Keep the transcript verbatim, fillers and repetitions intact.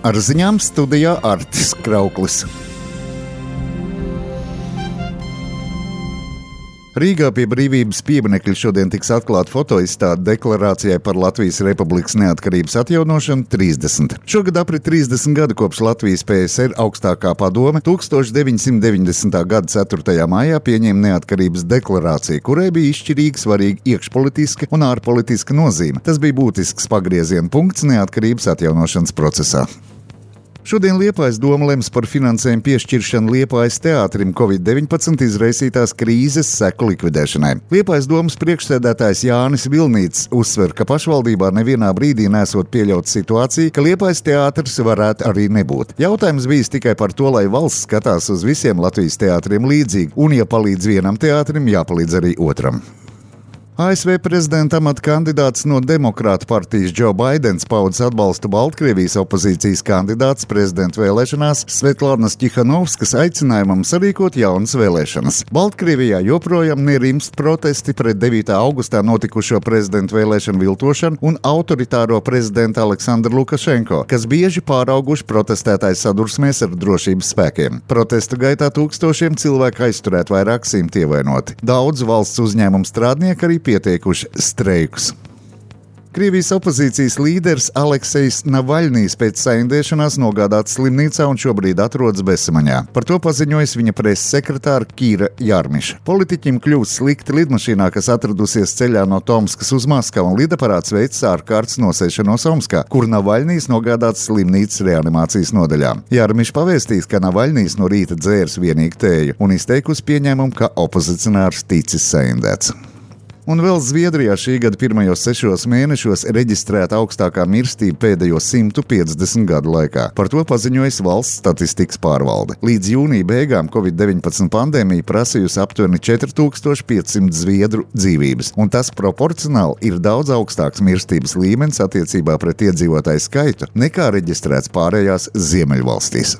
Ar ziņām studijā Artis Krauklis. Rīgā pie Brīvības pieminekļa šodien tiks atklāta fotoizstāde deklarācijai par Latvijas Republikas neatkarības atjaunošanu trīsdesmit. Šogad aprit trīsdesmit gadi kopš Latvijas P S R augstākā padome tūkstoš deviņsimt deviņdesmitā gada ceturtajā maijā pieņēma neatkarības deklarāciju, kurai bija izšķirīgi svarīga iekšpolitiska un ārpolitiska nozīme. Tas bija būtisks pagrieziena punkts neatkarības atjaunošanas procesā. Šodien Liepājas doma lems par finansējumu piešķiršanu Liepājas teātrim covid deviņpadsmit izraisītās krīzes seku likvidēšanai. Liepājas domas priekšsēdētājs Jānis Vilnīts uzsver, ka pašvaldībā nevienā brīdī nesot pieļaut situāciju, ka Liepājas teātris varētu arī nebūt. Jautājums bijis tikai par to, lai valsts skatās uz visiem Latvijas teātriem līdzīgi, un ja palīdz vienam teātrim, jāpalīdz arī otram. A S V prezidenta amata kandidāts no Demokrātu partijas Džo Baidens paudis atbalstu Baltkrievijas opozīcijas kandidāts prezidenta vēlēšanās Svetlānas Ķihanovskas aicinājumam sarīkot jaunas vēlēšanas. Baltkrievijā joprojām nerimst protesti pret devītā augustā notikušo prezidenta vēlēšanu viltošanu un autoritāro prezidenta Aleksandru Lukašenko, kas bieži pārauguši protestētāju sadursmēs ar drošības spēkiem. Protestu gaitā tūkstošiem cilvēku aizturēt, vairāk simti ievainoti. Daudz valsts uzņēmumu strādnieki arī pieteikuši streikus. Krievijas opozīcijas līderis Aleksejs Navaļnijs pēc saindēšanās nogādāts slimnīcā un šobrīd atrodas bezsamaņā. Par to paziņojas viņa preses sekretāra Kīra Jarmiša. Politiķim kļūst slikti lidmašīnā, kas atradusies ceļā no Tomskas uz Maskavu, un lidaparāts veic ārkārtas nosēšanos Omskā, kur Navaļnijs nogādāts slimnīcas reanimācijas nodaļā. Jarmiša pavēstīs, ka Navaļnijs no rīta dzērs vienīgi tēju un izteikusi pieņēmumu, ka opozicionārs ticis saindēts. Un vēl Zviedrijā šī gada pirmajos sešos mēnešos reģistrēta augstākā mirstība pēdējo simtu piecdesmit gadu laikā. Par to paziņojas valsts statistikas pārvalde. Līdz jūnija beigām covid deviņpadsmit pandēmija prasījusi aptuveni četri tūkstoši piecsimt zviedru dzīvības, un tas proporcionāli ir daudz augstāks mirstības līmenis attiecībā pret iedzīvotāju skaitu nekā reģistrēts pārējās Ziemeļvalstīs.